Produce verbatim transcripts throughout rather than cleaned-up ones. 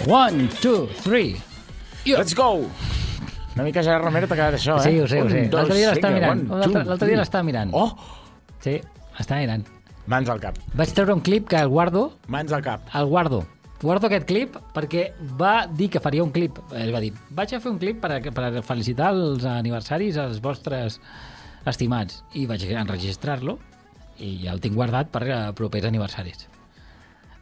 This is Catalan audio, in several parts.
One, two, three. Yeah. Let's go! Una mica Gerard Romero t'ha quedat això, eh? Sí, ho sé, ho sé. L'altre dia l'estava mirant. L'altre dia l'estava mirant. Oh! Sí, l'estava mirant. Mans al cap. Vaig treure un clip que el guardo. Mans al cap. El guardo. Guardo aquest clip perquè va dir que faria un clip. Ell va dir, vaig a fer un clip per, a, per a felicitar els aniversaris als vostres estimats. I vaig enregistrar-lo i ja el tinc guardat per a propers aniversaris.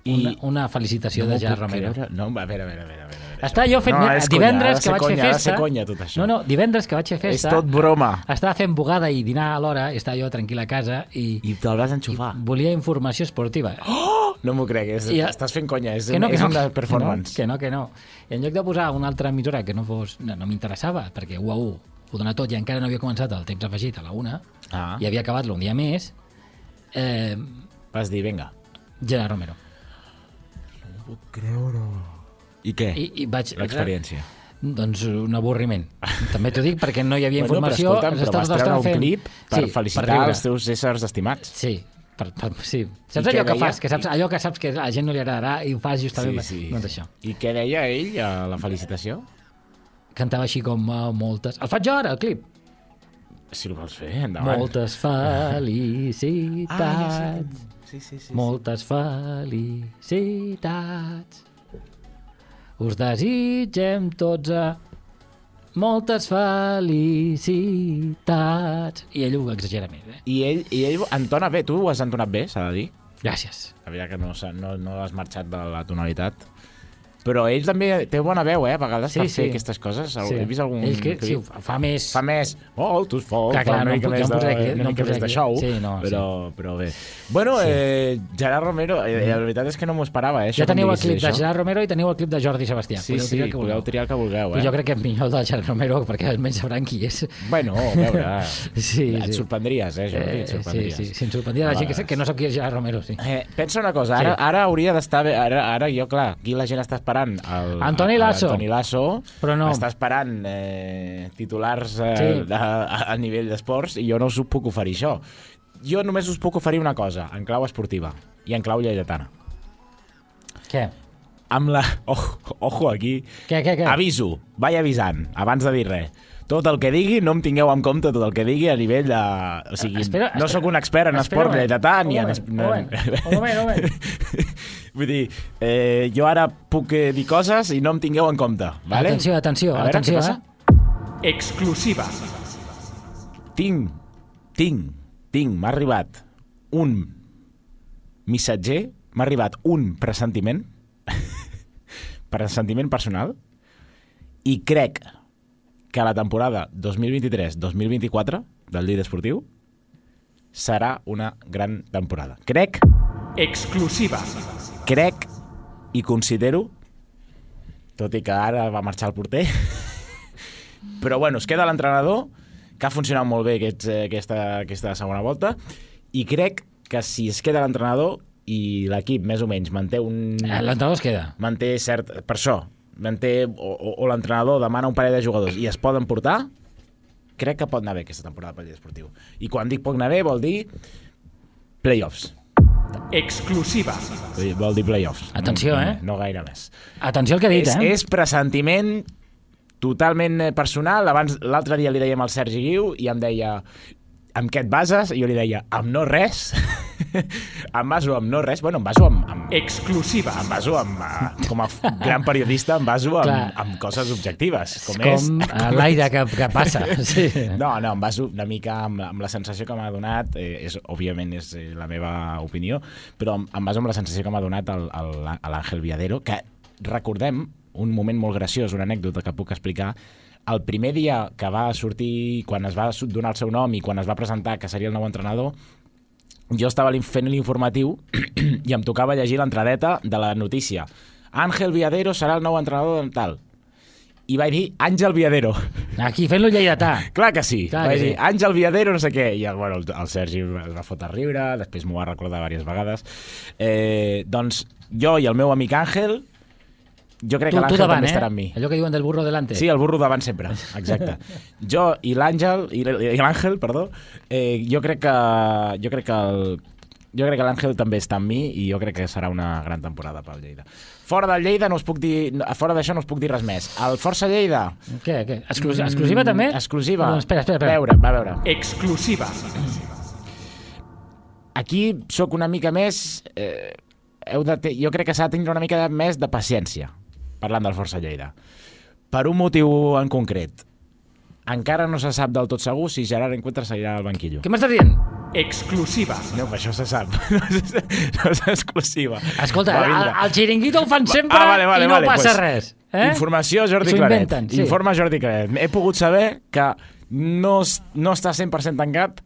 I una, una felicitació no de Gerard Romero. Creure. No, a veure, a veure, a veure. A veure. Està jo fent... No, divendres conya, que vaig conya, fer festa... conya, tot això. No, no, divendres que vaig fer festa... És tot broma. Estava fent bugada i dinar a l'hora, estava jo tranquil a casa i... I te'l vas enxufar. Volia informació esportiva. Oh! No m'ho crec, és, I, estàs fent conya, és, no, és no, una performance. Que no, que no. I en lloc de posar una altra emissora que no fos... No, no m'interessava, perquè u a u ho dona tot i encara no havia començat el temps afegit a la una, ah. i havia acabat-lo un dia més, eh, vas dir, vinga. Gerard Romero. No puc creure. I què? I, i vaig... L'experiència. Doncs un avorriment. També t'ho dic perquè no hi havia bueno, informació. Però, escolta'm, però vas treure un fent... clip per sí, felicitar per els teus éssers estimats. Sí, per, per, sí. Saps allò que deia? fas? Que saps, allò que saps que a la gent no li agradarà i ho fas justament... Sí, sí. Doncs això. I què deia ell a la felicitació? Cantava així com uh, moltes... El faig jo ara, el clip. Si el vols fer, endavant. Moltes felicitats. Ah, ja sí. Sí, sí, sí, moltes sí. felicitats. Us desitgem tots a... Moltes felicitats. I ell ho exagera més, eh? I ell, i ell entona bé. Tu ho has entonat bé, s'ha de dir. Gràcies. A veure que no, no, no has marxat de la tonalitat. Però ell també té bona veu, eh? A vegades sí, per fer sí. aquestes coses. Sí. He vist algun... Ell que, sí, fa més... Fa més... Oh, tu fos, clar, clar, fa una mica no, més, no de, aquí, una no mica més de show, sí, no, però, sí. però bé. Bueno, sí. eh, Gerard Romero, eh, la veritat és que no m'ho esperava, eh? Ja teniu el clip de Gerard Romero i teniu el clip de Jordi Sebastià. Sí, sí, sí, podeu triar el que vulgueu, eh? Jo crec que és millor el de Gerard Romero, perquè almenys sabran qui és. Bueno, a veure, sí, et sí. sorprendries, eh, Jordi? Et sorprendries. Sí, sí, sí, em sorprendria la gent que, que no sap qui és Gerard Romero, sí. Eh, pensa una cosa, ara, sí. ara hauria d'estar bé, ara, ara jo, clar, aquí la gent està esperant el, Antoni Lasso. Antoni Lasso, però no. Està esperant eh, titulars eh, sí. a, a, a nivell d'esports i jo no us puc oferir això. Jo només us puc oferir una cosa, en clau esportiva i en clau lleidatana. Què? Amb la... Oh, ojo aquí. Què, què, què? Aviso, vaig avisant, abans de dir res. Tot el que digui, no em tingueu en compte tot el que digui a nivell de... O sigui, espera, no sóc un expert en espera, esport lleidatà ni en... Un moment, un moment, un moment. Vull dir, eh, jo ara puc eh, dir coses i no em tingueu en compte, vale? Atenció, atenció, a veure, atenció, eh? Exclusiva. Tinc, tinc, tinc, m'ha arribat un missatger, m'ha arribat un pressentiment, pressentiment personal, i crec que la temporada dos mil vint-i-tres dos mil vint-i-quatre del Lleida Esportiu serà una gran temporada. Crec... Exclusiva. Crec i considero, tot i que ara va marxar el porter, però bueno, es queda l'entrenador, que ha funcionat molt bé aquest, aquesta, aquesta segona volta, i crec que si es queda l'entrenador i l'equip més o menys manté un... L'entrenador es queda. Manté cert... Per això, manté, o, o, o l'entrenador demana un parell de jugadors i es poden portar, crec que pot anar bé aquesta temporada pel Lleida Esportiu. I quan dic pot anar bé vol dir playoffs. Exclusiva. Vol dir playoffs. Atenció, no, eh? No gaire més. Atenció al que he dit, és, eh? És pressentiment totalment personal. Abans, l'altre dia li dèiem al Sergi Guiu i em deia, amb què et bases? I jo li deia, amb no res. Em baso amb no res. Bueno, em baso amb... amb Exclusiva. Em baso amb... Com a gran periodista, em baso amb, amb coses objectives. Com, com és... l'aire que, que passa. Sí. No, no, em baso una mica amb, amb la sensació que m'ha donat, eh, és, òbviament és la meva opinió, però em, em baso amb la sensació que m'ha donat el, el, l'Àngel Viadero, que recordem un moment molt graciós, una anècdota que puc explicar. El primer dia que va sortir, quan es va donar el seu nom i quan es va presentar que seria el nou entrenador, jo estava fent l'informatiu i em tocava llegir l'entradeta de la notícia. Ángel Viadero serà el nou entrenador de tal. I vaig dir Àngel Viadero. Aquí, fent-lo lleidatà. Clar que sí. Clar vaig que dir sí. Àngel Viadero no sé què. I bueno, el, el Sergi es va fotre a riure, després m'ho va recordar diverses vegades. Eh, doncs jo i el meu amic Àngel, jo crec tu, que l'Àngel també eh? estarà amb mi. Allò que diuen del burro delante. Sí, el burro davant sempre, exacte. Jo i l'Àngel, i l'Àngel, perdó, eh, jo crec que jo crec que el, jo crec que l'Àngel també està amb mi i jo crec que serà una gran temporada pel Lleida. Fora del Lleida no us puc dir... Fora d'això no us puc dir res més. El Força Lleida... Què? què? Exclusiva, exclusiva també? Exclusiva. No, espera, espera, espera. Veure, va veure. Exclusiva. Aquí sóc una mica més... Eh, heu de te... Jo crec que s'ha de tenir una mica més de paciència parlant del Força Lleida. Per un motiu en concret. Encara no se sap del tot segur si Gerard Encuentra seguirà al banquillo. Què m'estàs dient? Exclusiva. No, però això se sap. No és exclusiva. Escolta, Va el, vindre. el xiringuito el fan sempre Ah, vale, vale, i no vale, passa pues, res. Eh? Informació Jordi S'ho Claret. inventen, sí. Informa Jordi Claret. He pogut saber que no, es- no està cent per cent tancat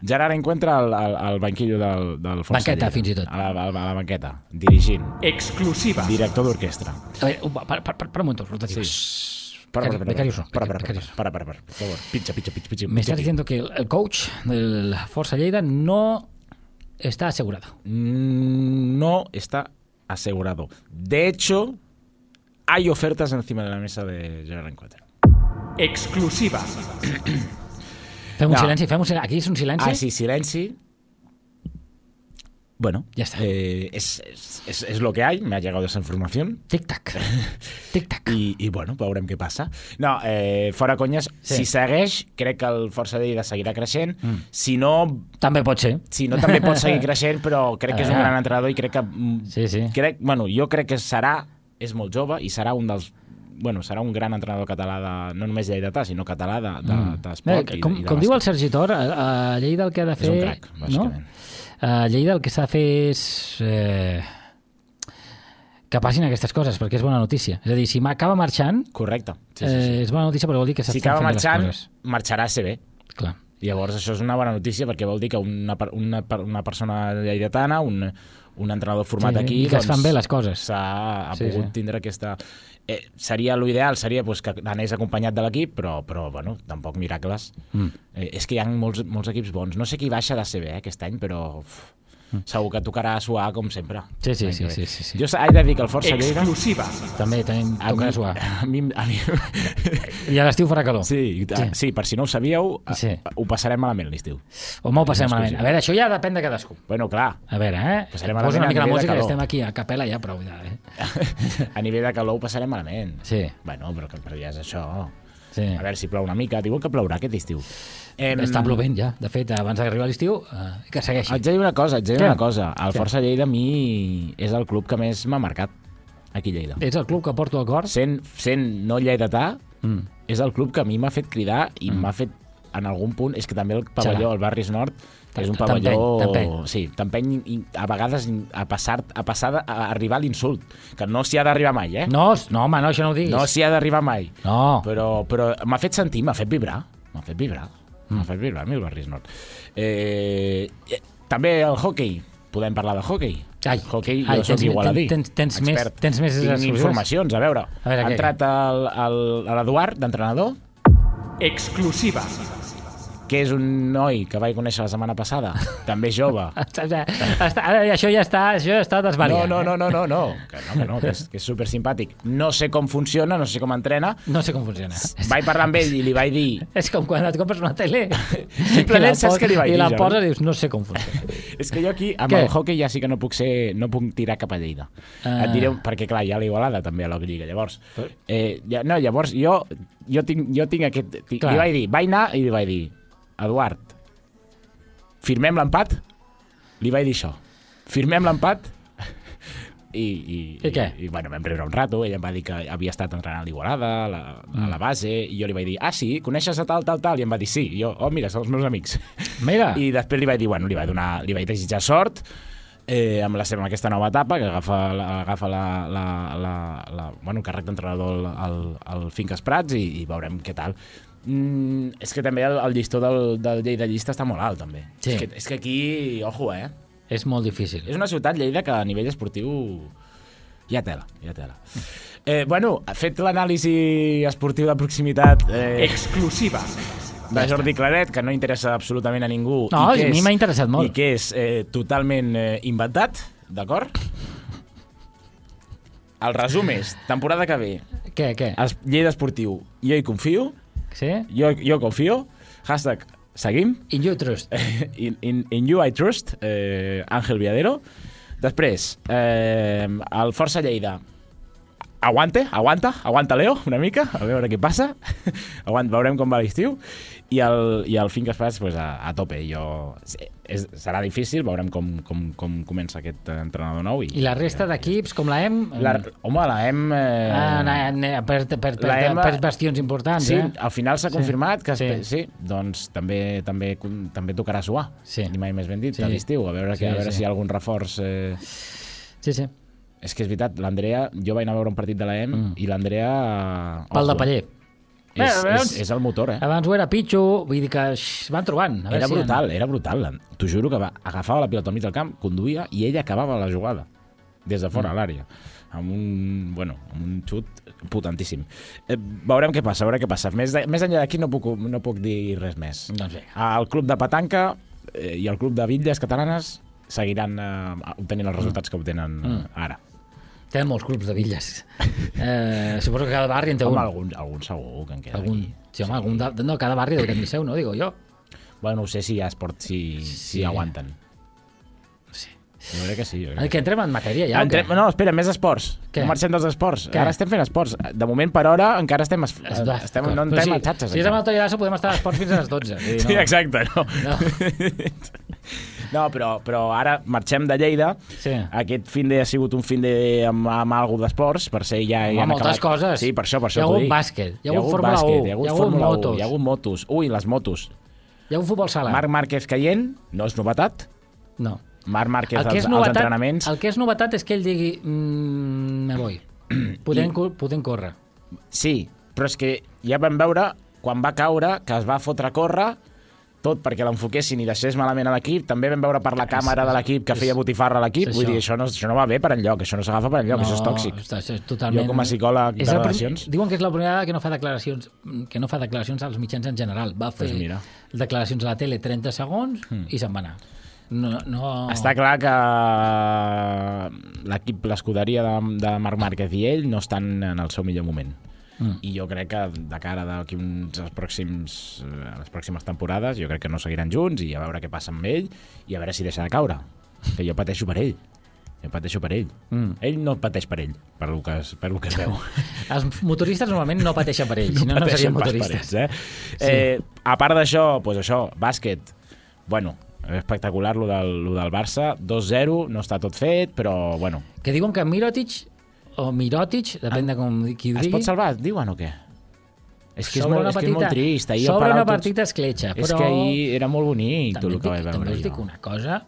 Gerard Encuentra al, al, al banquillo del, del Força Banqueta, Lleida. fins i tot. A la, a la, a la banqueta, dirigint, Exclusiva. director d'orquestra. A veure, un- per, per, per, per un moment, rotatiu. Sí. Para, para, para, Becarios no, para, para, becarios. para, para, para, por favor. Pincha, pincha, pincha, pincha. Me estás pincha aquí. diciendo que el, el coach del Força Lleida no está asegurado. Mm, No está asegurado. De hecho, hay ofertas encima de la mesa de Gerard Encuentra. Exclusiva. Fem un No. silenci, fem un silenci. Aquí és un silenci. Ah, sí, silenci. Bueno, Ya está. eh, es, es, es, es lo que hay, me ha llegado esa información. Tic-tac. Tic-tac. I, i bueno, veurem què passa. No, eh, fora conyes, Sí. si segueix, crec que el Força Lleida seguirà creixent. Mm. Si no, També pot ser. si no també pot seguir creixent, però crec que és un Ah. gran entrenador i crec que... mm, Sí, sí. Crec, bueno, jo crec que serà, és molt jove i serà un dels... Bueno, serà un gran entrenador català, de, no només lleidatà, sinó català de, de, Mm. d'esport Bé, i, com, i de com diu el bàsquet. Sergi Tor, a, a Lleida el que ha de És fer... un crac, bàsicament. No? A Lleida el que s'ha de fer és... Eh, que passin aquestes coses, perquè és bona notícia. És a dir, si acaba marxant, Correcte. Sí, sí, sí, sí. eh, és bona notícia perquè vol dir que Si s'estan acaba fent marxant, bé les coses. marxarà a ser bé. Clar. Llavors això és una bona notícia perquè vol dir que una, per- una, per- una persona lleidatana, un, un entrenador format Sí, aquí... i que es fan bé les coses. S'ha ha Sí, pogut sí. tindre aquesta... Eh, seria l'ideal, seria pues, que anés acompanyat de l'equip, però, però bueno, tampoc miracles. Mm. Eh, és que hi ha molts, molts equips bons. No sé qui baixa de C B eh, aquest any, però uf, segur que tocarà suar com sempre. Sí, sí, L'any sí, que ve. sí, sí, sí. Jo he de dir que el Força Lleida... Exclusiva. També tenim A mi, tocar suar. a mi, a mi, I a l'estiu farà calor. sí, sí. sí, per si no ho sabíeu, Sí. ho passarem malament l'estiu. Home, ho passem És malament. exclusiva. A veure, això ja depèn de cadascú. Bueno, clar, A veure, eh? Passarem Posa malament una a mica la nivell de música, que calor. estem aquí a capella ja, prou ja, eh? a nivell de calor ho passarem malament. Sí, Bueno, però, que- però ja és això. sí. A veure si plou una mica. Diuen que plourà aquest estiu. Em, Està plovent ja. De fet, abans d'arribar l'estiu, eh, que segueixi. Haig de dir una cosa, haig de dir Què? una cosa. El Què? Força Lleida a mi és el club que més m'ha marcat aquí a Lleida. És el club que porto al cor? Sent, sent no lleidatà, Mm. és el club que a mi m'ha fet cridar i m'ha fet en algun punt, és que també el pavelló, Xalar. el Barris Nord, és un T'empeny, pavelló... t'empeny. Sí, t'empeny i a vegades a passar, a passar de- a arribar a l'insult, que no s'hi ha d'arribar mai, eh? No, no, home, no, això no ho diguis. No s'hi ha d'arribar mai. No. Però, però m'ha fet sentir, m'ha fet vibrar. M'ha fet vibrar. Mm. M'ha fet vibrar a mi el Barris Nord. Eh, eh, també el hockey. Podem parlar de hockey. Ai, hockey, ai, jo soc tens- igualadí. tens- tens més- expert. tens més Tinc exclusives? informacions, a veure. A veure, ha què, entrat el- el- l'Eduard, d'entrenador, Exclusiva. que és un noi que vaig conèixer la setmana passada, també jove. Està, ja- està, ara això ja està, això ja està No, desvariant. no, eh? no, no, no, no, que no, que no, que és, que és super simpàtic. No sé com funciona, no sé com entrena. No sé com funciona. Vaig parlar amb ell i li vaig dir... És com quan et compres una tele Simplement i la saps pos- què li vaig i dir, la Jordi? poses i dius, no sé com funciona. És que jo aquí, amb Què? el hockey, ja sí que no puc ser, no puc tirar cap a Lleida. Ah. Et diré, perquè clar, hi ha l'Igualada també a la Lliga, llavors. Però- Eh, ja, no, llavors jo, jo, tinc, jo tinc aquest... Tinc, Clar. li vaig dir, vaig anar i li vaig dir, Eduard, firmem l'empat? Li vaig dir això. Firmem l'empat? I, i, I què? I, i bueno, vam riure un rato, ell em va dir que havia estat entrenant a l'Igualada, a, la, a la base, i jo li vaig dir, ah, sí, coneixes a tal, tal, tal? I em va dir, sí. I jo, oh, mira, són els meus amics. Mira, I després li vaig dir, bueno, li vaig donar, li vaig desitjar sort eh, amb, la seva, amb aquesta nova etapa, que agafa, la, agafa la, la, la, la, bueno, el càrrec d'entrenador al, al, al Finques Prats i, i veurem què tal. Mm, és que també el, el llistó del, del Lleida Llista està molt alt, també. Sí. És, que, és que aquí, ojo, eh? és molt difícil. És una ciutat, Lleida, que a nivell esportiu hi ha tela, hi ha tela. Eh, bueno, fet l'anàlisi esportiu de proximitat eh, Exclusiva. de Jordi Claret, que no interessa absolutament a ningú. No, i que a mi és- m'ha interessat molt. I que és eh, totalment eh, inventat, d'acord? El resum és, temporada que ve, Què, què? es, Lleida Esportiu, jo hi confio, Sí? jo, jo confio, hashtag Seguim? In you trust. In, in, in you I trust, eh, Ángel Viadero. Després, eh, el Força Lleida. Aguante, aguanta, aguanta Leo, una mica, a veure què passa. Aguanta, veurem com va l'estiu. I el, i el Finques Prats, pues, a, a tope. Jo, és, serà difícil, veurem com, com, com comença aquest entrenador nou. I, I la resta d'equips, com la E M... La, home, la E M... Eh, ah, na, na, per, per, per, la E M, per bastions importants, sí, eh? al final s'ha Sí. confirmat que... Sí. Sí. sí, doncs també també també tocarà suar. Sí. Ni mai més ben dit, Sí. a l'estiu. A veure, Sí, que, a veure sí. si hi ha algun reforç... Eh... Sí, sí. És que és veritat, l'Andrea... Jo vaig anar a veure un partit de la E M mm. i l'Andrea... Pal de paller. És, Bé, és, abans- és el motor, eh? Abans ho era Pichu, vull dir que x, van trobant. A veure Era si brutal, era brutal. T'ho juro que va, agafava la pilota al mig del camp, conduïa i ella acabava la jugada des de fora Mm. a l'àrea. Amb un, bueno, amb un xut potentíssim. Eh, veurem què passa, veurem què passa. Més, de, més enllà d'aquí no puc, no puc dir res més. Doncs bé. El club de petanca eh, i el club de bitlles catalanes seguiran eh, obtenint els resultats que obtenen Mm. eh, ara. Tenen molts clubs de bitlles. Eh, suposo que cada barri en té Home, un. algun, algun segur que en queda Algun, aquí. sí, home, algun de, no, cada barri deu tenir el seu, no? Digo jo. Bueno, no sé si hi ha esport, si, Sí. si aguanten. Sí. Jo crec que sí. Jo crec Eh, que que entrem en matèria ja, o Entrem, què? no, espera, més esports. Què? No marxem dels esports. Què? Ara estem fent esports. De moment, per hora, encara estem... Es, Es va, estem d'acord. no Però entrem sí, a xatxes. Si és amb encara. el Tollasso podem estar a esports fins a les dotze. Vull dir, no. Sí, exacte. No, No. no però, però ara marxem de Lleida. Sí. Aquest fin de ha sigut un fin de amb, amb alguna d'esports, per ser ja... Home, ja han moltes acabat. coses. Sí, per això, per Hi això ha t'ho hagut dic. bàsquet, hi ha hagut Fórmula bàsquet, u, hi ha hagut hi ha hagut Fórmula u, motos. hi ha hagut motos. Ui, les motos. Hi ha un futbol sala? Marc Márquez caient, no és novetat. No. Marc Márquez El que, als, és als novetat, entrenaments. el que és novetat és que ell digui mmm, me voy. Podem, I... podem córrer. Sí, però és que ja vam veure, quan va caure, que es va fotre a córrer, tot perquè l'enfoquessin i deixés malament a l'equip. També vam veure per la càmera de l'equip que feia botifarra a l'equip. és Vull això. dir, això no, això no va bé per enlloc, això no s'agafa per enlloc, això és tòxic. Està, això és totalment... Jo, com a psicòleg de És el prim- relacions... Diuen que és la primera vegada que no fa declaracions que no fa declaracions als mitjans en general. Va fer Pues mira. declaracions a la tele trenta segons mm. i se'n va anar. No, no... Està clar que l'equip, l'escuderia de, de Marc Márquez i ell no estan en el seu millor moment. Mm. I jo crec que de cara d'aquí uns els pròxims, eh, les pròximes temporades jo crec que no seguiran junts i a veure què passa amb ell i a veure si deixa de caure, que jo pateixo per ell jo pateixo per ell Mm. ell no pateix per ell, per lo que es, per lo que es veu. Els motoristes normalment no pateixen per ells, si no, no serien pateixen pas per motoristes. ells, eh? Sí. Eh, a part d'això, pues això, bàsquet, bueno, espectacular lo del, lo del Barça, dos zero, no està tot fet, però bueno. Que diuen que Mirotic o Mirotic, depèn de com qui ho Es digui... pot salvar, diuen o què? És que és, Sobre molt, una és, que és molt petita- trist. Ahir al sobre Palau una tots- partita escletxa, però... És que ahir era molt bonic tot també, el et que dic, vaig també veure us dic jo. una cosa...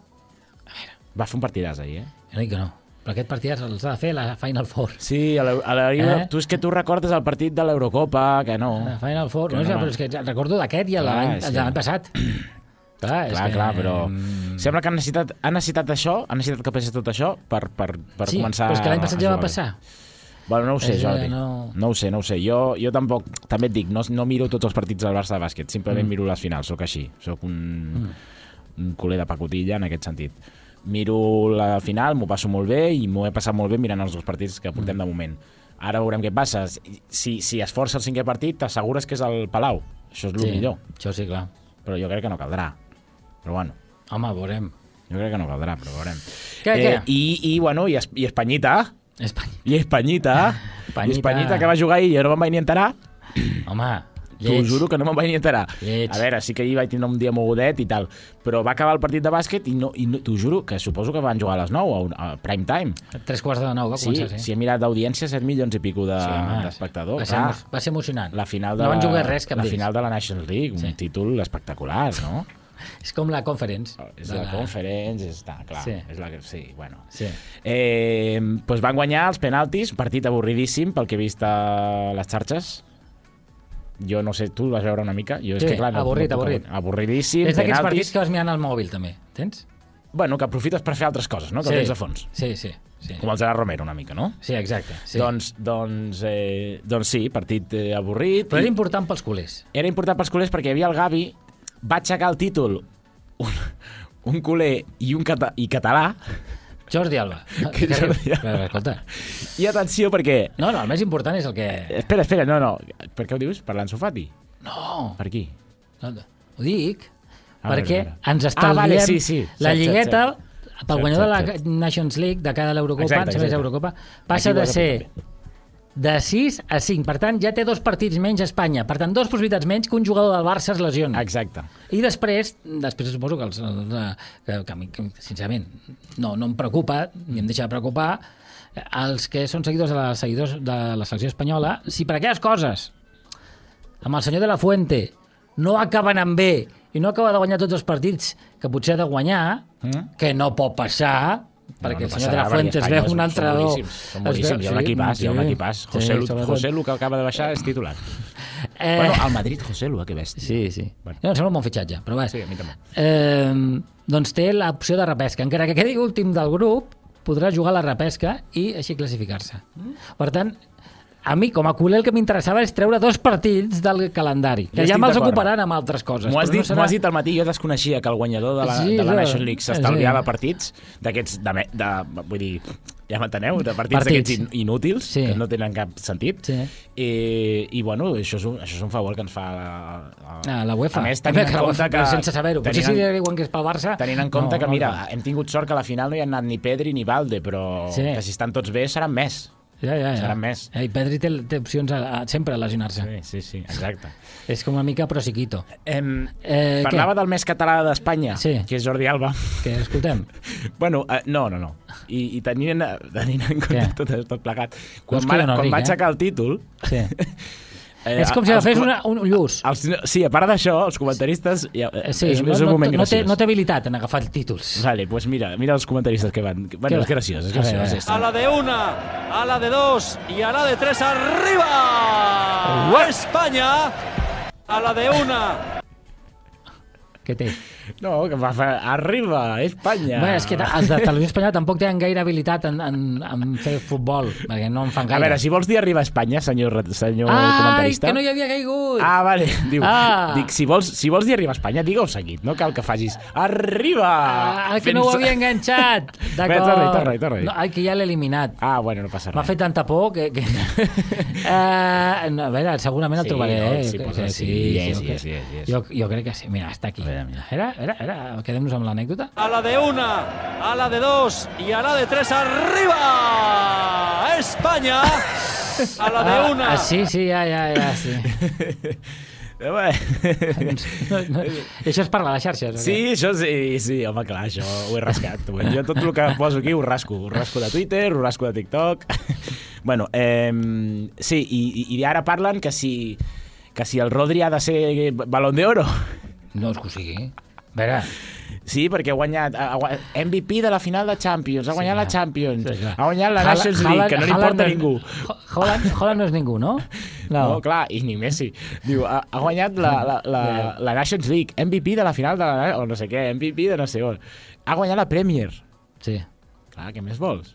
Va fer un partidàs ahir, eh? Jo no dic que no, però aquest partit els ha de fer la Final Four. Sí, a la, a la, Eh? tu és que tu recordes el partit de l'Eurocopa, que no. La Final Four, Que no, no, no, va. però és que recordo d'aquest i el de Clar, l'any és el que- de l'any passat. Clar, és Clar, que... clar, però mm, sembla que han necessitat, han necessitat això, han necessitat que passés tot això per, per, per sí, començar però és que l'any passat a ja va jugar bé. passar. Bueno, no ho sé, És que Jordi. no- No ho sé, no ho sé. Jo, jo tampoc, també et dic, no, no miro tots els partits del Barça de bàsquet, simplement Mm. miro les finals, sóc així. Sóc un, un culer de pacotilla en aquest sentit. Miro la final, m'ho passo molt bé i m'ho he passat molt bé mirant els dos partits que portem de moment. Ara veurem què passa. Si, si es força el cinquè partit, t'assegures que és el Palau. Això és el Sí, millor. això sí, clar. Però jo crec que no caldrà. Però bueno, Home, veurem. jo crec que no caldrà, però veurem. Què, eh, què? I, i, bueno, i, es, i Espanyita, Espanya. i Espanyita, Espanyita. i Espanyita que va jugar ahir i jo no me'n vaig ni enterar. Home, T'ho lleig. juro que no me'n vaig ni enterar. Lleig. A veure, sí que ahir vaig tindre un dia mogudet i tal, però va acabar el partit de bàsquet i, no, i no, t'ho juro que suposo que van jugar a les nou, a, un- a prime time. Tres quarts de nou va Sí, començar, sí. si he mirat d'audiència, set milions i pico de- Sí, home, d'espectadors. va, ser, Clar, emo- va ser emocionant. la final de no van la, jugar res, cap la d'ells. final de la Nations League, un Sí. títol espectacular, no? És com la Conference. És de la Conference, està clar. Sí. És la que, sí, bueno. Sí. Eh, doncs van guanyar els penaltis, un partit avorridíssim pel que he vist a les xarxes. Jo no sé, tu el vas veure una mica? Jo, és Sí, que, clar, no, avorrit, no puc- avorrit. Avorridíssim, És d'aquests penaltis. partits que vas mirant al mòbil, també. Tens? Bueno, que aprofites per fer altres coses, no? Que sí. tens de fons. Sí, sí. Sí, Com el Gerard Romero, una mica, no? sí exacte. Sí. Doncs, doncs, eh, doncs sí, partit eh, avorrit. Però era i- important pels culers. era important pels culers perquè hi havia el Gavi, va aixecar el títol un, un culer i un cata, i català, Jordi Alba. Que Jordi Alba. Però, escolta. i atenció perquè... No, no, el més important és el que... Espera, espera, no, no. Per què ho dius? Per l'Ansu Fati? No, Per qui? no, ho dic. Ah, perquè veure, ens Ah, estalviem vale, sí, sí. la Cert, lligueta, cert, pel guanyador de la cert, cert. Nations League de cada l'Eurocopa, Exacte, em sembla que és exacte. Eurocopa, passa Aquí ho de has ser apuntat de sis a cinc. Per tant, ja té dos partits menys a Espanya. Per tant, dos possibilitats menys que un jugador del Barça es lesiona. Exacte. I després, després suposo que, els, els, que, que, a mi, que sincerament, no, no em preocupa, ni em deixa de preocupar, els que són seguidors de la, seguidors de la selecció espanyola, si per aquelles coses, amb el senyor de la Fuente, no acaben amb bé i no acaba de guanyar tots els partits que potser ha de guanyar, Mm? que no pot passar, perquè no el senyor de passarà, la Fuente es perquè veu Espanya un són entrenador... boníssims, Són boníssims, hi ha un equipàs, hi ha un equipàs. José Lu, José Lu, que acaba de baixar, és titular. Eh, Bueno, al Madrid, José Lu, que bèstia. Sí, sí. Bueno. No, em sembla un bon fitxatge, però bé. Sí, a mi també. Eh, doncs té l'opció de repesca. Encara que quedi últim del grup, podrà jugar a la repesca i així classificar-se. Per tant, a mi, com a culer, el que m'interessava és treure dos partits del calendari, que Jo ja estic me'ls d'acord. ocuparan amb altres coses. M'ho has, però dit, no m'ho serà... has dit al matí, jo desconeixia que el guanyador de la, Sí, de la jo- Nation League s'estalviava sí. partits d'aquests, de, me- de, vull dir, ja m'enteneu, de partits, Partits. d'aquests in, inútils, Sí. que no tenen cap sentit. Sí. I, i bueno, això és, un, això és un favor que ens fa la, la, Ah, la UEFA. A més, tenint en la compte UEFA, que... però sense saber-ho. Potser tenint si en- diuen que és pel Barça... Tenint en compte no, que, no, mira, no. hem tingut sort que a la final no hi ha anat ni Pedri ni Valde, però Sí. que si estan tots bé seran més. Ja, ja, ja. Seran més. Eh, I Pedri té, té opcions a, a, sempre a lesionar-se. Sí, sí, sí, exacte. És com una mica prosiquito. Em, Eh, parlava què? del més català d'Espanya, Sí. que és Jordi Alba. Que escoltem. Bueno, uh, no, no, no. I, i tenint, tenint en compte Què? tot, tot plegat, No quan, es va, queda no quan ric, va eh? aixecar el títol... Sí. Eh, És com si els agafés co- una, un lluç. Els, sí, a part d'això, els comentaristes... Ja, Eh, Sí, és, no, és un no, moment no, té, graciós. no té habilitat en agafar títols. Vale, pues mira, mira els comentaristes que van... Bueno, Què és va? graciós, és A veure, graciós. a veure. A la de una, a la de dos y a la de tres arriba. España. A la de una. Què té? No, que va fer... Arriba, Espanya! Bé, és que els de televisió espanyola tampoc tenen gaire habilitat en, en, en fer futbol, perquè no en fan A gaire. veure, si vols dir arriba a Espanya, senyor, re- senyor Ai, comentarista... que no hi havia caigut! Ah, vale. Diu, Ah. dic, si vols, si vols dir arriba a Espanya, digue-ho seguit. No cal que facis arriba! Ah, que no ho Fent- havia enganxat! Bé, D'acord. torna-hi, torna-hi, torna-hi. No, ai, que ja l'he eliminat. Ah, bueno, no passa res. M'ha fet tanta por que... que... uh, no, a veure, segurament el Sí, trobaré. no, eh? sí, Que- posa que sí, yes, jo, yes, que- yes, yes. Jo, jo crec que sí. Mira, està aquí. A veure, mira. Era, era, era. Quedem-nos amb l'anècdota. A la de una, a la de dos y a la de tres arriba. España. A la de una. Ah, sí, sí, ja, ja, ja, sí. Eh, bé. No, no, això és per a les xarxes. o què? Sí, això sí, sí, home, clar, això ho he rascat. Jo tot el que poso aquí ho rasco. Ho rasco de Twitter, ho rasco de TikTok... Bueno, eh, sí, i, i ara parlen que si, que si el Rodri ha de ser Balón de Oro. No és que ho sigui. A veure, Sí, perquè ha guanyat ha, ha, M V P de la final de Champions, ha guanyat clar. la Champions, Sí, clar. ha guanyat la Haaland- Nations League, que no li Haaland importa no a és- ningú. Ho- Holland, Holland no és ningú, no? No. no, clar, i ni Messi. Diu, ha, ha guanyat la, la, la, la Nations League, M V P de la final de la... o no sé què, M V P de no sé on. Ha guanyat la Premier. Sí. Clar, què més vols?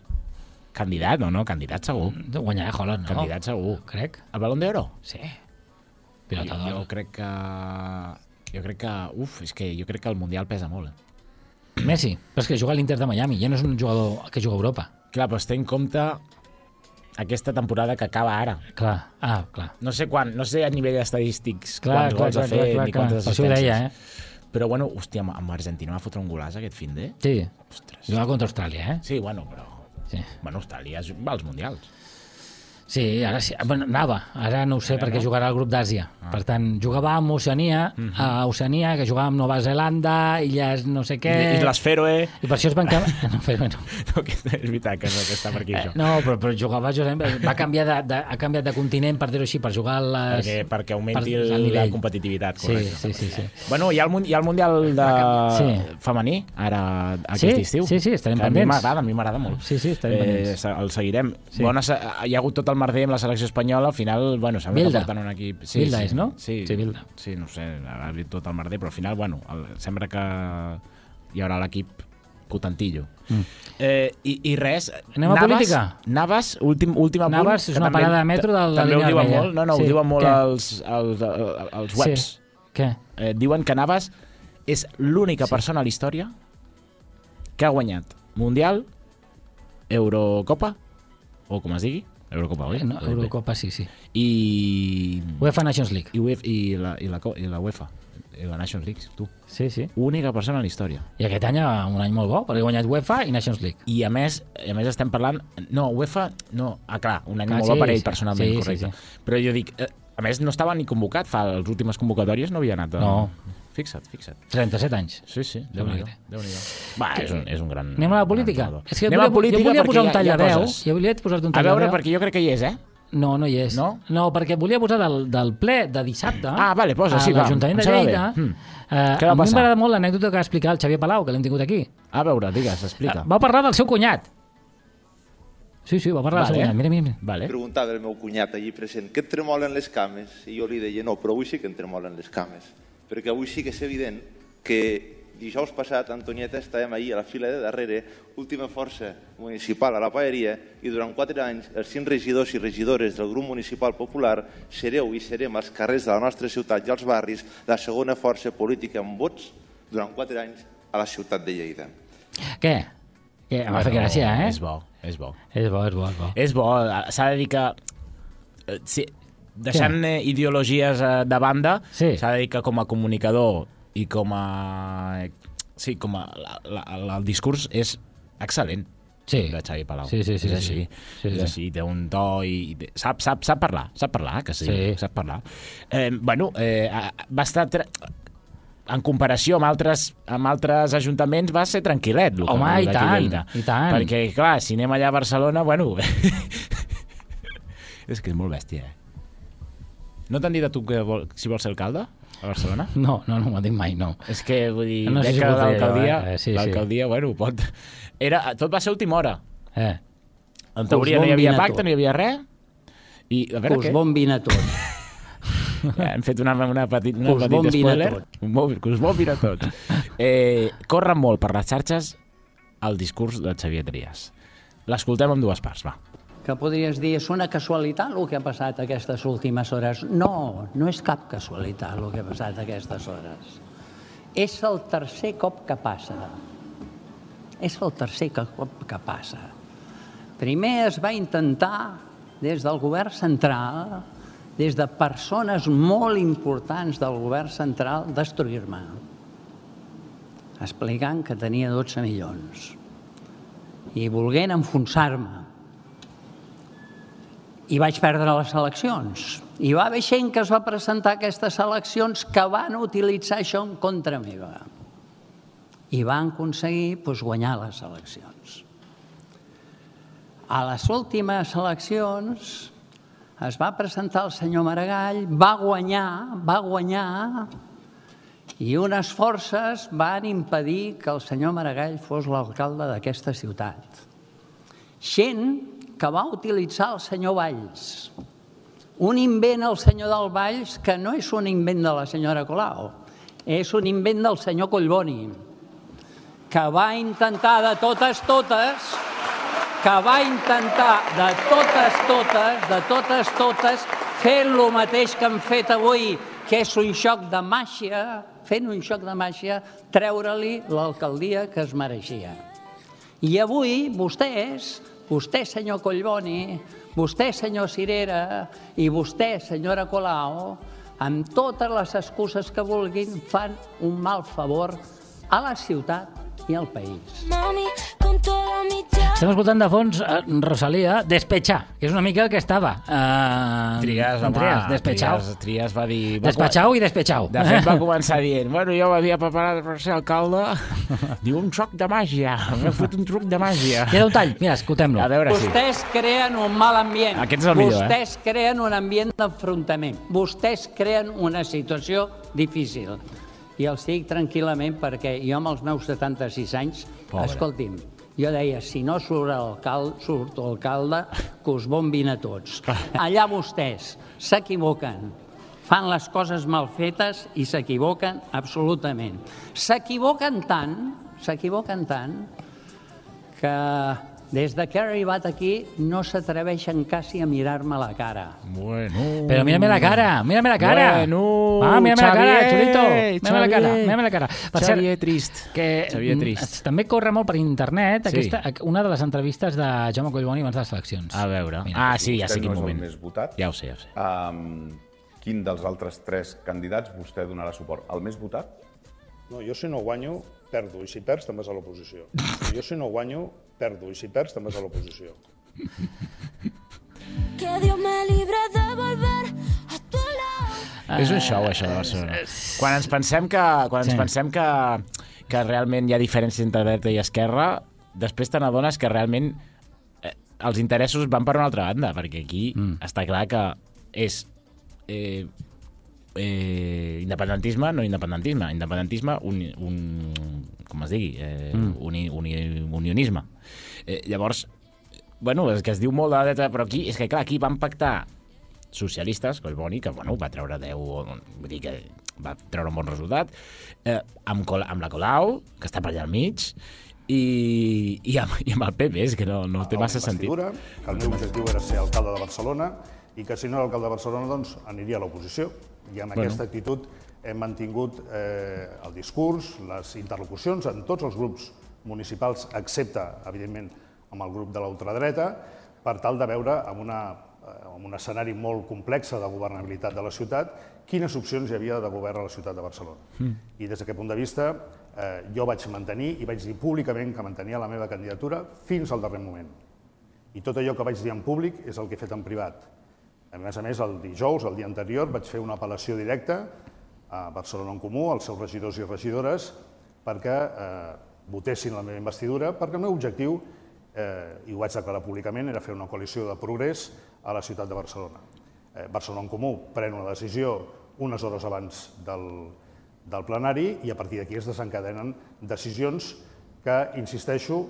Candidat, no, no, candidat segur. Guanyarà Holland, no? Candidat segur. Crec. El Balón d'Oro? Sí. Jo, Pilota jo d'or. crec que... Jo crec que... Uf, és que jo crec que el Mundial pesa molt. Eh? Messi. Però és que juga a l'Inter de Miami. Ja no és un jugador que juga a Europa. Clar, però té en compte aquesta temporada que acaba ara. Clar. Ah, clar. No sé quan, no sé a nivell estadístics Clar, quants clar, gols clar, ha fet clar, clar, ni clar. quantes Per això ho assistències. deia, eh? Però bueno, hòstia, amb- amb Argentina va fotre un golaç aquest fin de... Sí. Ostres. Juga contra Austràlia, eh? Sí, bueno, però... Sí. Bueno, Austràlia és- va als Mundials. Sí, ara sí. Bueno, anava. Ara no ho sé Ara perquè no? jugarà al grup d'Àsia. Ah. Per tant, jugava amb Oceania, Mhm. a Oceania, que jugava amb Nova Zelanda, illes no sé què... Isles Fèroe... I per això es van canviar... No, Fèroe no. No, que és veritat que, no, que està per aquí, Eh, això. no, però, però jugava... Josep, va canviar de, de, ha canviat de continent, per dir-ho així, per jugar a les... Perquè, perquè augmenti per- el, el la nivell. competitivitat. Sí, Correcte. sí, sí, sí. Bueno, hi ha el, mun- hi ha el Mundial de... Sí. femení, ara, aquest Sí, estiu. sí, sí, estarem Que a mi pendents. m'agrada, a mi m'agrada molt. Sí, sí, estarem pendents. se- El seguirem. Sí. Bona, se- hi ha hagut tot el merder amb la selecció espanyola, al final, bueno, sembla Bilda. que porten un equip... Bilda sí. és, no? Sí, Sí, Bilda. Sí, no ho sé, ha hagut tot el merder, però al final, bueno, el, sembla que hi haurà l'equip potentillo. Mm. Eh, i, I res... Anem a Navas, política? Navas, últim, últim apunt... Navas és que una també- parada de metro de la També ho línia diuen vermella. molt, no, no, Sí, ho diuen molt què? els, els, els, els webs. Sí. Què? Eh, diuen que Navas és l'única Sí. persona a la història que ha guanyat Mundial, Eurocopa, o com es digui, Eurocopa, oi? Eh, No, Eurocopa, sí, sí. I... UEFA Nations League. I, UEFA, i, la, i, la, co- i la UEFA. la Nations League, tu. Sí, sí. Única persona en la història. I aquest any un any molt bo, perquè he guanyat UEFA i Nations League. I a més, a més estem parlant... No, UEFA... No, ah, clar, un any Clar, molt sí, bo per ell, sí. personalment, Sí, correcte. sí, sí. Però jo dic... Eh, a més, no estava ni convocat. Fa les últimes convocatòries no havia anat. A... No. Fixa't, fixa't. trenta-set anys. Sí, sí, Déu-n'hi-do. Déu-n'hi-do. Va, és un, és un gran... Anem a la política? gran És que jo Anem a volia, política jo volia posar un perquè hi ha- hi ha tallaveu. coses. Jo volia posar un A tallaveu. veure, perquè jo crec que hi és, eh? No, no hi és. No? No, perquè volia posar del, del ple de dissabte Ah, vale, posa, sí, a va, l'Ajuntament em de sembla Lleida. bé. Mm. Eh, Què va a mi passar? m'agrada molt l'anècdota que va explicar el Xavier Palau, que l'hem tingut aquí. A veure, digues, explica. Va parlar del seu cunyat. Sí, sí, va parlar Vale. del seu cunyat. Mira, mira, mira. Vale. Preguntava el meu cunyat allí present, que et tremolen les cames? I jo li deia, no, però avui sí que em tremolen les cames. Perquè avui sí que és evident que dijous passat, Antonieta, estàvem ahir a la fila de darrere, última força municipal a la Paeria, i durant quatre anys els cinc regidors i regidores del grup municipal popular sereu i serem als carrers de la nostra ciutat i als barris la segona força política amb vots durant quatre anys a la ciutat de Lleida. Què? Què? Em va fer gràcia, eh? És bo, és bo. És bo, és bo, és bo. És bo, s'ha de dir que... eh, Sí, deixant eh, ideologies eh, de banda, Sí. s'ha de dir que com a comunicador i com a... Sí, com a... La, la, la, el discurs és excel·lent. Sí. De Xavi Palau. Sí, sí, sí, és sí, així. sí. Sí, és sí. així, té un to i... i sap, sap, sap parlar, sap parlar, que sí, Sí. sap parlar. Eh, bueno, eh, va estar... Tra... En comparació amb altres, amb altres ajuntaments va ser tranquil·let. el que- Home, el i d'aquí tant, Lleida. i tant. Perquè, clar, si anem allà a Barcelona, bueno... és que és molt bèstia, eh? No t'han dit a tu que vol, si vols ser alcalde a Barcelona? No, no, no m'ho ha dit mai, no. És que, vull dir, No sé veig si que pot fer l'alcaldia, allò, eh? Sí, sí. l'alcaldia, bueno, pot... Era, tot va ser a última hora. Eh. En teoria no hi havia pacte, no hi havia res. I, a Que veure us què? bombin a tot. Ja, hem fet una, una, petit, una Que us petit bombin a spoiler. tot. Un bo- Que us bombin a tot. Eh, corre molt per les xarxes el discurs de Xavier Trias. L'escoltem en dues parts, va. Que podries dir, és una casualitat el que ha passat aquestes últimes hores. No, no és cap casualitat el que ha passat aquestes hores. És el tercer cop que passa. És el tercer cop que passa. Primer es va intentar, des del govern central, des de persones molt importants del govern central, destruir-me. Explicant que tenia dotze milions. I volguent enfonsar-me. I vaig perdre les eleccions. I va haver gent que es va presentar a aquestes eleccions que van utilitzar això en contra meva. I van aconseguir doncs, guanyar les eleccions. A les últimes eleccions es va presentar el senyor Maragall, va guanyar, va guanyar, i unes forces van impedir que el senyor Maragall fos l'alcalde d'aquesta ciutat. Gent que va utilitzar el senyor Valls. Un invent, el senyor del Valls, que no és un invent de la senyora Colau, és un invent del senyor Collboni, que va intentar de totes, totes, que va intentar de totes, totes, de totes, totes, fent el mateix que han fet avui, que és un xoc de màgia, fent un xoc de màgia, treure-li l'alcaldia que es mereixia. I avui vostès, vostè, senyor Collboni, vostè, senyor Cirera, i vostè, senyora Colau, amb totes les excuses que vulguin, fan un mal favor a la ciutat i al país. Estem escoltant de fons eh, Rosalía, Despechar, que és una mica el que estava. Eh, Trias, home, Trias, Despechau. Trias, Trias va dir... Va Despechau i Despechau. De fet, va començar dient, bueno, jo m'havia preparat per ser alcalde. Diu, un xoc de màgia. M'he fet un truc de màgia. Queda un tall, mira, escoltem-lo. A veure si... Vostès creen un mal ambient. Aquest és el millor, eh? Vostès creen un ambient d'enfrontament. Vostès creen una situació difícil. I els dic tranquil·lament perquè jo amb els meus setanta-sis anys, Pobre. escolti'm, jo deia, si no surt l'alcalde, surt l'alcalde, que us bombin a tots. Allà vostès s'equivoquen, fan les coses mal fetes i s'equivoquen absolutament. S'equivoquen tant, s'equivoquen tant, que des que he arribat aquí no s'atreveixen quasi a mirar-me a la cara. Bueno... Però mírame la cara, mírame la cara. Bueno, ah, mírame la cara, Xavier, xulito. Mírame la cara, Xavier. mírame la cara. Per Xavier cert, trist. que Xavier mm, trist. també corre molt per internet Sí. aquesta, una de les entrevistes de Jaume Collboni abans de les eleccions. A veure... Mira. Ah, sí, ja sé Vostè quin no és el moment. més votat. Ja ho sé, ja ho sé. Um, quin dels altres tres candidats vostè donarà suport? El més votat? No, jo si no guanyo, perdo, i si perds també és a l'oposició. Jo si no guanyo, perdo, i si perds també és a l'oposició. Que Dios me libre de volver a tu lado. És un show, això de Barcelona. Quan ens pensem que, quan ens sí. pensem que, que realment hi ha diferències entre dreta i esquerra, després te n'adones que realment eh, els interessos van per una altra banda, perquè aquí mm. està clar que és eh, eh, independentisme, no independentisme, independentisme, un, un, com es digui, eh, mm. uni, uni, unionisme. Eh, llavors, bueno, és que es diu molt de la dreta, però aquí, és que clar, aquí van pactar socialistes, Collboni, que bueno, va treure deu, vull dir que va treure un bon resultat, eh, amb, Col amb la Colau, que està per allà al mig, i, i, amb, i amb el P P, és que no, no té massa sentit. Que el meu objectiu era ser alcalde de Barcelona i que si no era alcalde de Barcelona, doncs aniria a l'oposició. I amb bueno. aquesta actitud hem mantingut eh, el discurs, les interlocucions en tots els grups municipals, excepte, evidentment, amb el grup de l'ultradreta, per tal de veure amb, una, amb un escenari molt complex de governabilitat de la ciutat quines opcions hi havia de govern a la ciutat de Barcelona. Mm. I des d'aquest punt de vista eh, jo vaig mantenir i vaig dir públicament que mantenia la meva candidatura fins al darrer moment. I tot allò que vaig dir en públic és el que he fet en privat. A més a més, el dijous, el dia anterior, vaig fer una apel·lació directa a Barcelona en Comú, als seus regidors i regidores, perquè eh, votessin la meva investidura, perquè el meu objectiu, eh, i ho vaig declarar públicament, era fer una coalició de progrés a la ciutat de Barcelona. Eh, Barcelona en Comú pren una decisió unes hores abans del, del plenari i a partir d'aquí es desencadenen decisions que, insisteixo,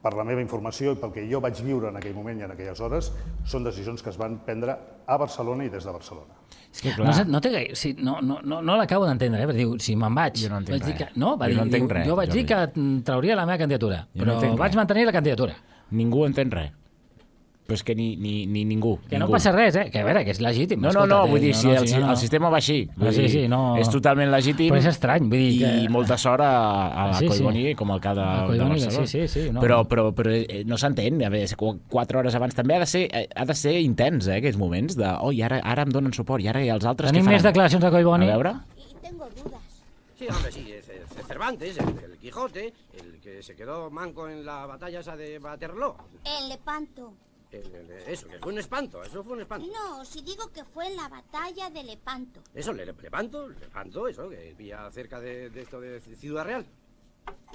per la meva informació i pel que jo vaig viure en aquell moment i en aquelles hores, són decisions que es van prendre a Barcelona i des de Barcelona. És que, clar... No, no, té gaire, sí, no, no, no, no l'acabo d'entendre, eh? Diu, si me'n vaig... Jo no entenc vaig res. Que, no, va jo dir, no entenc diu, res. Jo vaig dir que trauria la meva candidatura, jo però no vaig mantenir la candidatura. Ningú entén res. Però és que ni, ni, ni ningú. Que ningú. no passa res, eh? Que a veure, que és legítim. No, no, no, vull dir, no, si no, el, si no, el sistema va així. Ah, sí, sí, no... És totalment legítim. Però és estrany, vull dir que... I molta sort a, a sí, Collboni sí. com a alcalde de, Collboni, de Barcelona. Sí, sí, sí, no. Però, però, però no s'entén. A veure, quatre hores abans també ha de ser, ha de ser intens, eh, aquells moments de oh, i ara, ara em donen suport, i ara i els altres Tenim què faran? més declaracions de Collboni. A veure... Y tengo dudas. Sí, hombre, sí, es, es Cervantes, el, el Quijote, el que se quedó manco en la batalla esa de Waterloo. En Lepanto. El, el, eso, que fue un espanto, eso fue un espanto. No, si digo que fue en la batalla de Lepanto. Eso, le, Lepanto, Lepanto, eso, que vivía cerca de, de esto de Ciudad Real.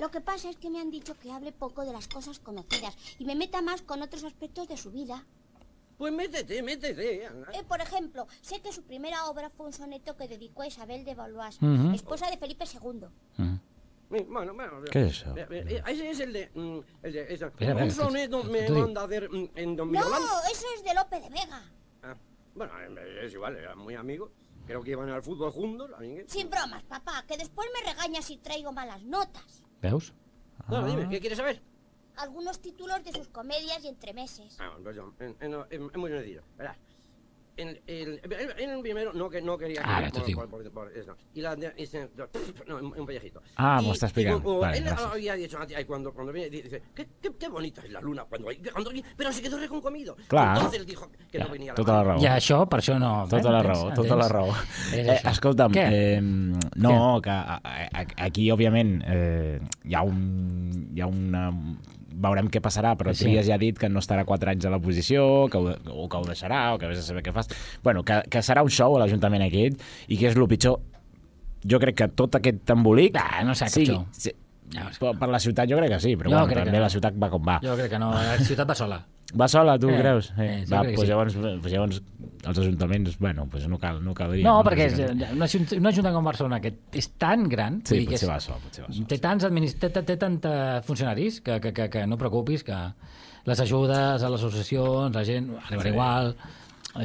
Lo que pasa es que me han dicho que hable poco de las cosas conocidas y me meta más con otros aspectos de su vida. Pues métete, métete. Eh, por ejemplo, sé que su primera obra fue un soneto que dedicó a Isabel de Valois, Uh-huh. esposa de Felipe segundo. Uh-huh. Bueno, bueno, ¿Qué es eso? Ese es el de... Mm, el de esa, Espera, espera, un soneto me tú- manda a hacer mm, en Don No, Mirolán. eso es de Lope de Vega. Ah, bueno, es igual, eran muy amigos. Creo que iban al fútbol juntos. A mí que- Sin bromas, papá, que después me regañas si traigo malas notas. Veus? Bueno, dime, ¿qué quieres saber? Algunos títulos de sus comedias y entremeses. Ah, pues yo, en, en, en, es muy sencillo, verás. En el, en el primero no, que, no quería... Ah, que, esto sí. por, por, por, por eso. Y la... de- ese- no, un, un pellejito. Ah, Y- m'ho està explicant. y como- Vale, él gràcies. había dicho, ay, cuando, cuando viene, dice, qué, qué, qué bonita es la luna, cuando, cuando pero se quedó reconcomido. Clar. Entonces él dijo que Ja, no venía la tota la raó. I això, per això no... Tota la entens? raó, tota la Entens? raó. És Eh, això. escolta'm, Què? eh, no, que a, a, aquí, òbviament, eh, hi ha un... Hi ha una... Veurem què passarà, però Sí. Trias ja ha dit que no estarà quatre anys a l'oposició, que ho, o que ho deixarà, o que vés a saber què fas. Bueno, que, que serà un show a l'Ajuntament aquest, i que és el pitjor. Jo crec que tot aquest embolic... Ah, no sé, cap sigui, show. sí, per, per la ciutat jo crec que sí, però Jo bueno, crec que també no. la ciutat va com va. Jo crec que no, la ciutat va sola. Va sola, tu Eh, creus? eh, Eh, sí, va, crec que doncs sí. llavors, doncs llavors els ajuntaments, bueno, doncs no cal, no caldria. No, perquè és, Sí, sí. una, ajunt- una Ajuntament com Barcelona que és tan gran, Sí, vull dir que potser és, va sol, potser va sol. té tants administ... té, té, té tanta funcionaris que, que, que, que no preocupis, que les ajudes a les associacions, la gent arribarà Sí. igual,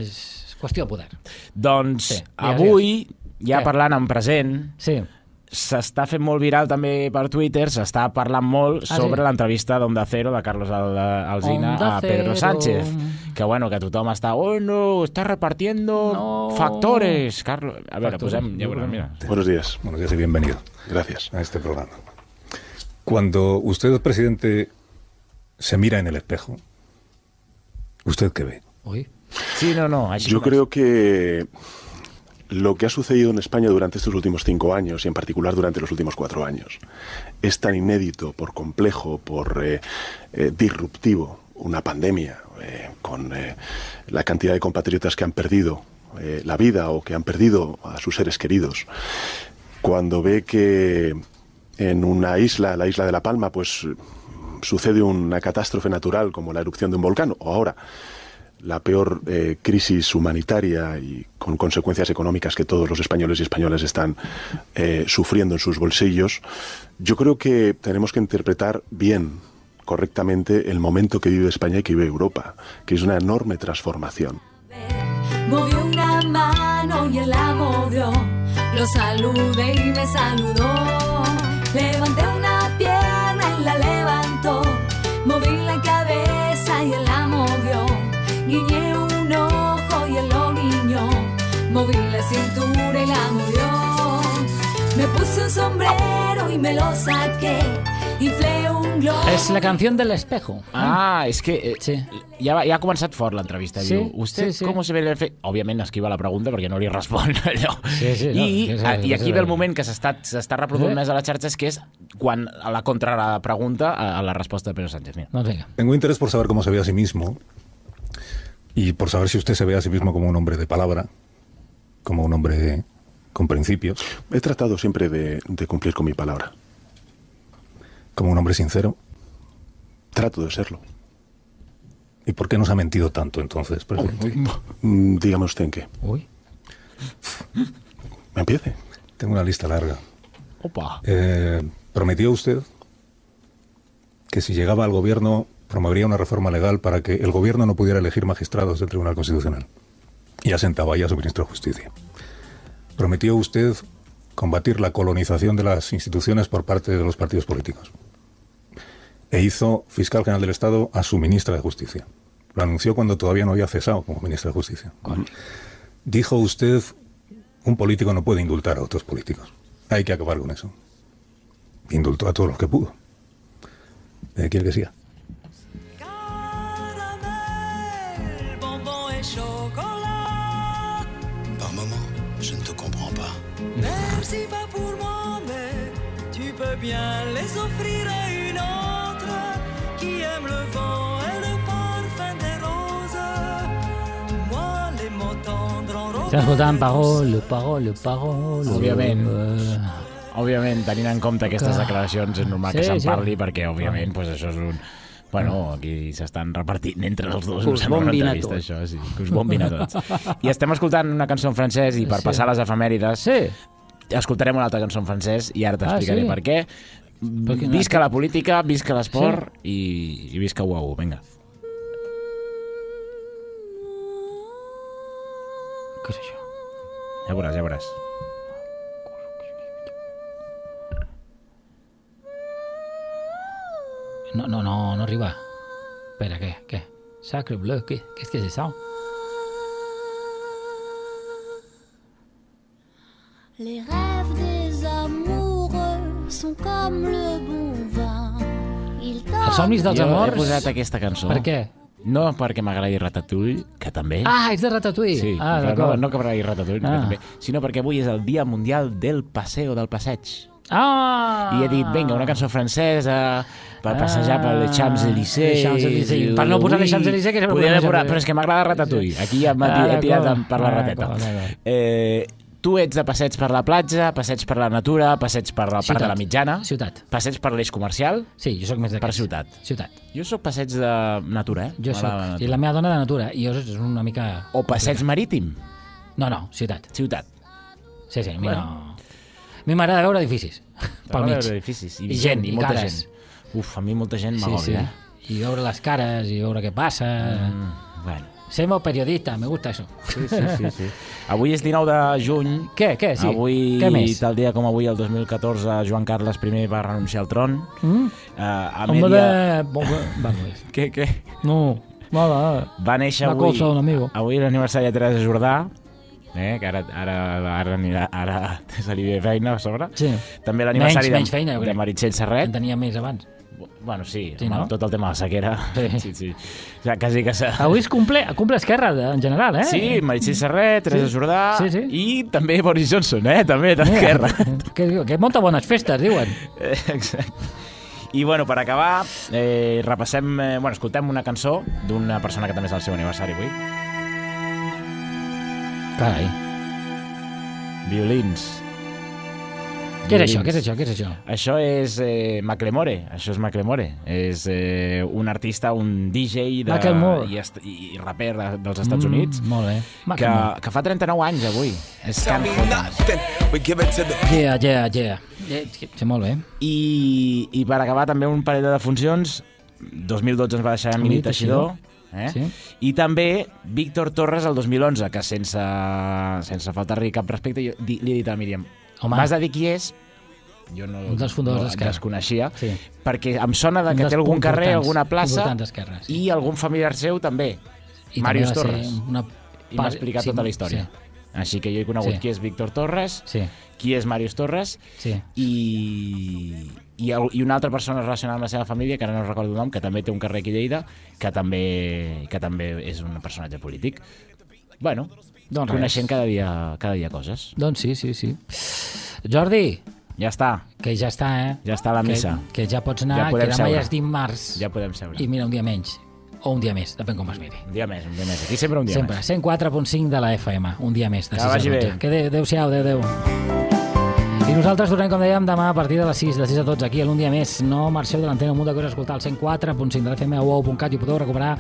és qüestió de poder. Doncs Sí, digues, avui, ja Què? parlant en present, Sí. s'està fent molt viral també per Twitter, s'està parlant molt Ah, sobre sí? l'entrevista d'Onda Cero de Carlos Al- Alsina Onda a Pedro Cero. Sánchez, que bueno, que tothom està, oh no, está repartiendo No. factores, Carlos. A veure, Factores. posem, ja veurem, mira. Buenos días, buenos días y bienvenido. Gracias a este programa. Cuando usted, presidente, se mira en el espejo, ¿usted qué ve? Ui. Sí, no, no, així Yo com és. creo que lo que ha sucedido en España durante estos últimos cinco años y en particular durante los últimos cuatro años es tan inédito, por complejo, por eh, eh, disruptivo, una pandemia eh, con eh, la cantidad de compatriotas que han perdido eh, la vida o que han perdido a sus seres queridos. Cuando ve que en una isla, la isla de La Palma, pues sucede una catástrofe natural como la erupción de un volcán, o ahora la peor eh, crisis humanitaria y con consecuencias económicas que todos los españoles y españolas están eh, sufriendo en sus bolsillos, yo creo que tenemos que interpretar bien, correctamente, el momento que vive España y que vive Europa, que es una enorme transformación. Movió una mano y él la movió, lo saludé y me saludó, levanté una pierna y la levantó, moví la cabeza y él la movió, guiñé un ojo y él lo guiñó, moví la cintura y la movió, me puse un sombrero y me lo saqué, inflé un globo. És la canció del espejo. Ah, és que eh, sí. ja, ja ha començat fort l'entrevista. Sí, Diu, ¿usted sí, sí. cómo se ve el efecto? Òbviament esquiva la pregunta perquè no li respon allò. Sí, sí, no, I, que és- a, I que és- aquí ve el moment que s'està reproduint Eh? més a les xarxes, que és quan a la contrapregunta a, a la resposta de Pedro Sánchez. Mira. Doncs vinga. Tengo interés por saber cómo se ve a sí mismo y por saber si usted se ve a sí mismo como un hombre de palabra, como un hombre con principios. He tratado siempre de, de cumplir con mi palabra. Como un hombre sincero. Trato de serlo. ¿Y por qué nos ha mentido tanto entonces, presidente? Mm, Dígame usted en qué. Uy. Empiece. Tengo una lista larga. Opa. Eh, prometió usted que si llegaba al gobierno promovería una reforma legal para que el gobierno no pudiera elegir magistrados del Tribunal Constitucional. Y asentaba ya a su ministro de Justicia. Prometió usted combatir la colonización de las instituciones por parte de los partidos políticos. E hizo fiscal general del Estado a su ministra de Justicia. Lo anunció cuando todavía no había cesado como ministra de Justicia. Dijo usted, un político no puede indultar a otros políticos. Hay que acabar con eso. Indultó a todos los que pudo. Eh, ¿Quiere que siga? Bonbon et chocolat. Par moment, je ne te comprends pas. Merci pas pour moi, mais tu peux bien les offrir à une autre qui aime le vent et le parfum des roses. Moi, les mots tendres en rose. Estem escoltant Parole, Parole, Parole... Òbviament. Eh, Òbviament, tenint en compte aquestes declaracions, és normal Sí, que se'n sí. parli, perquè, òbviament, pues, això és un... Bueno, aquí s'estan repartint entre els dos. Que us em sembla una bombin a entrevista, tots. Això, sí, que us bombin a tots. I estem escoltant una cançó en francès i per Sí. passar les efemèrides Sí. escoltarem una altra cançó en francès i ara t'explicaré sí? per què. Perquè no- Visca la política, visca l'esport i, i visca U A U. Vinga. Què és això? Ja veuràs, ja veuràs. No, no, no, no arriba. Espera, què? Què? Sacre bleu, què? Qu'est-ce que c'est ça? Les rêves des amoureux sont comme le bon vin. Ils Els somnis dels Jo he amors... posat aquesta cançó. Per què? No perquè m'agradi Ratatouille, que també... Ah, és de Ratatouille. Sí, ah, però no, d'acord. no que m'agradi Ratatouille, Ah. que també, sinó perquè avui és el Dia Mundial del Paseo, del passeig. Ah! I he dit, vinga, una cançó francesa per passejar per les Champs-Élysées. Les Champs-Élysées. Per no posar les Champs-Élysées, que sempre Podria posem les posar, Champs-Élysées. però és que m'agrada Ratatouille. Aquí ja m'ha Ah, he tirat d'acord. per la Ah, rateta. d'acord, d'acord. Eh, tu ets de passeig per la platja, passeig per la natura, passeig per la part Ciutat. de la mitjana, Ciutat. passeig per l'eix comercial, Sí, jo sóc més per d'aquests. ciutat. Ciutat. Jo sóc passeig de natura, eh? Jo M'agrada soc. I la meva dona de natura. I jo és una mica... O passeig marítim. No, no, ciutat. Ciutat. Sí, sí, a mi Bueno. no... A mi m'agrada veure edificis. Pel M'agrada mig. veure edificis. I, I gent, gent, i i molta cares. gent. Uf, a mi molta gent Sí, m'agòbia, sí. eh? I veure les cares, i veure què passa... Mm, bueno. Semo periodista, me gusta eso. Sí, sí, sí, sí. Avui és dinou de juny. Què, què, sí? Avui, Què més? tal dia com avui, el dos mil catorze, Joan Carles I va renunciar al tron. Mm? Uh, Hombre, bomba- vamos. Què, què? No, nada. Va néixer Una avui... cosa, un amigo. Avui l'aniversari de Teresa Jordà, eh, que ara, ara, ara, anirà, ara se li ve feina a sobre. Sí. També l'aniversari Menys- menys de, feina, jo de crec. Meritxell Serret. En tenia més abans. Bueno, sí, Sí, no? tot el tema de la sequera. Sí. Sí, sí. O sigui, quasi que s'ha... Avui es cumple, cumple Esquerra, en general, eh? Sí, Meritxell Serret, Teresa Sí. Jordà Sí, sí. i també Boris Johnson, eh? També d'Esquerra. Que, que munta bones festes, diuen. Eh, Exacte. I, bueno, per acabar, eh, repassem... Eh, bueno, escoltem una cançó d'una persona que també és el seu aniversari avui. Carai. Violins. Què és això? Què és això? Què és això? Això és eh, Macklemore. Això és Macklemore. És eh, un artista, un D J de, Macklemore. i, est- i raper de, dels Estats Mm, Units molt bé. que, Macklemore. que fa trenta-nou anys avui. És Can Yeah, yeah, yeah. Eh, Sí, molt bé. I, I per acabar també un parell de defuncions. dos mil dotze ens va deixar Emili Emili Teixidor. Teixidor. Eh? Sí. I també Víctor Torres el dos mil onze, que sense, sense faltar-li cap respecte, jo di- li he dit a Míriam, Home. m'has de dir qui és? Jo no, Un dels fundadors no d'Esquerra. desconeixia, Sí. perquè em sona de Un que dels té algun carrer, importants- alguna plaça, importants d'Esquerra, sí. i algun familiar seu també, I Màrius també va ser Torres. una I m'ha part- explicat sí, tota la història. sí. Així que jo he conegut Sí. qui és Víctor Torres, Sí. qui és Màrius Torres, Sí. i, i, el- i una altra persona relacionada amb la seva família, que ara no recordo el nom, que també té un carrer aquí a Lleida, que també, que també és un personatge polític. Bueno, Doncs coneixent res. cada dia, cada dia coses. Doncs sí, sí, sí. Jordi, Ja està, que ja està, eh? ja està la missa. Que, que ja pots anar, Ja podem que demà seure. ja és dimarts. Ja podem seure. I mira, un dia menys. O un dia més, depèn com es miri. Un dia més, un dia més. Aquí sempre un dia Sempre. més. cent quatre punt cinc de la F M. Un dia més, de Que sis a vagi dotze. bé. Que adéu, adéu-siau, adéu, adéu. I nosaltres tornem, com dèiem, demà a partir de les sis, de sis a dotze, aquí a l'Un dia més. No marxeu de l'antena, un munt de coses a escoltar al cent quatre punt cinc de la F M o u o u punt cat i ho podeu recuperar,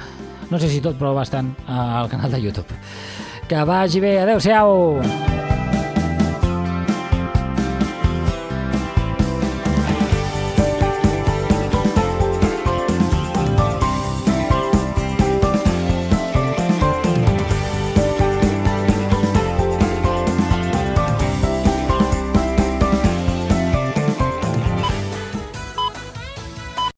no sé si tot, però bastant, al canal de YouTube. Que vagi bé, adéu-siau!